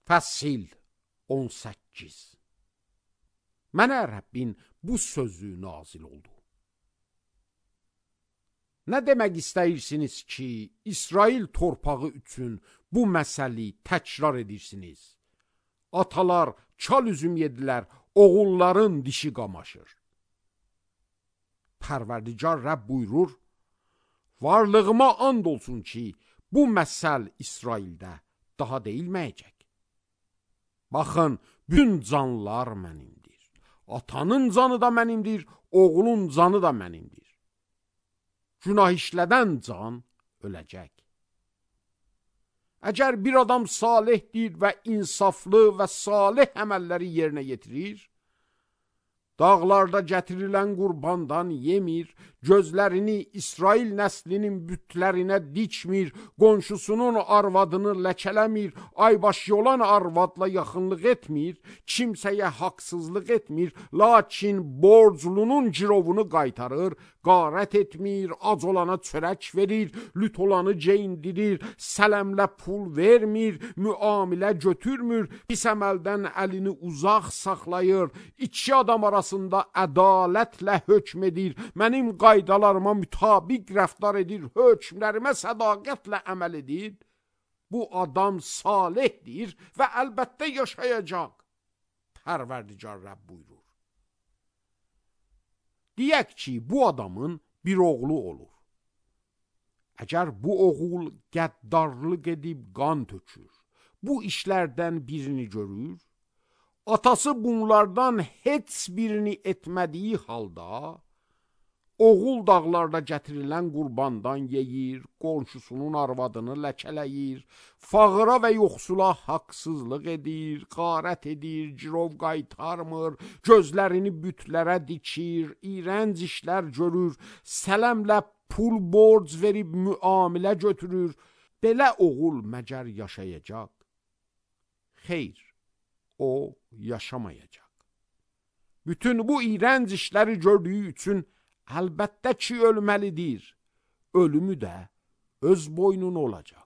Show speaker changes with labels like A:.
A: Fəsil 18. Mənə Rəbbin bu sözü nazil oldu. Nə demək istəyirsiniz ki, İsrail torpağı üçün bu məsəli təkrar edirsiniz? Atalar çal üzüm yedilər, oğulların dişi qamaşır. Pərverdigar Rəbb buyurur, varlığıma and olsun ki, bu məsəl İsraildə daha deyilməyəcək. Baxın, bütün canlar mənimdir. Atanın canı da mənimdir, oğlun canı da mənimdir. Günah işlədən can öləcək. Əgər bir adam salihdir və insaflı və salih əməlləri yerinə yetirir, dağlarda gətirilən qurbandan yemir, gözlərini İsrail nəslinin bütlərinə dikmir, qonşusunun arvadını ləkələmir, aybaşı olan arvadla yaxınlıq etmir, kimsəyə haqsızlıq etmir, lakin borclunun girovunu qaytarır, qarət etmir, ac olana çörək verir, lüt olanı geyindirir, sələmlə pul vermir, müamilə götürmür, pis əməldən əlini uzaq saxlayır, iki adam arasında ədalətlə hökm edir, mənim qaydalarıma mütabiq rəftar edir, hökmlərimə sədaqətlə əməl edir, bu adam salihdir və əlbəttə yaşayacaq. Pərverdigar Rəbb buyurur. Deyək ki, bu adamın bir oğlu olur. Əgər bu oğul qəddarlıq edib qan tökür, bu işlərdən birini görür, atası bunlardan heç birini etmədiyi halda, oğul dağlarda gətirilən qurbandan yeyir, qonşusunun arvadını ləkələyir, fağıra və yoxsula haqsızlıq edir, qarət edir, girov qaytarmır, gözlərini bütlərə dikir, iyrənc işlər görür, sələmlə pul borc verib müamilə götürür, belə oğul məgər yaşayacaq? Xeyr, o yaşamayacaq. Bütün bu iyrənc işləri gördüyü üçün əlbəttə ki, ölməlidir. Ölümü də öz boynuna olacaq.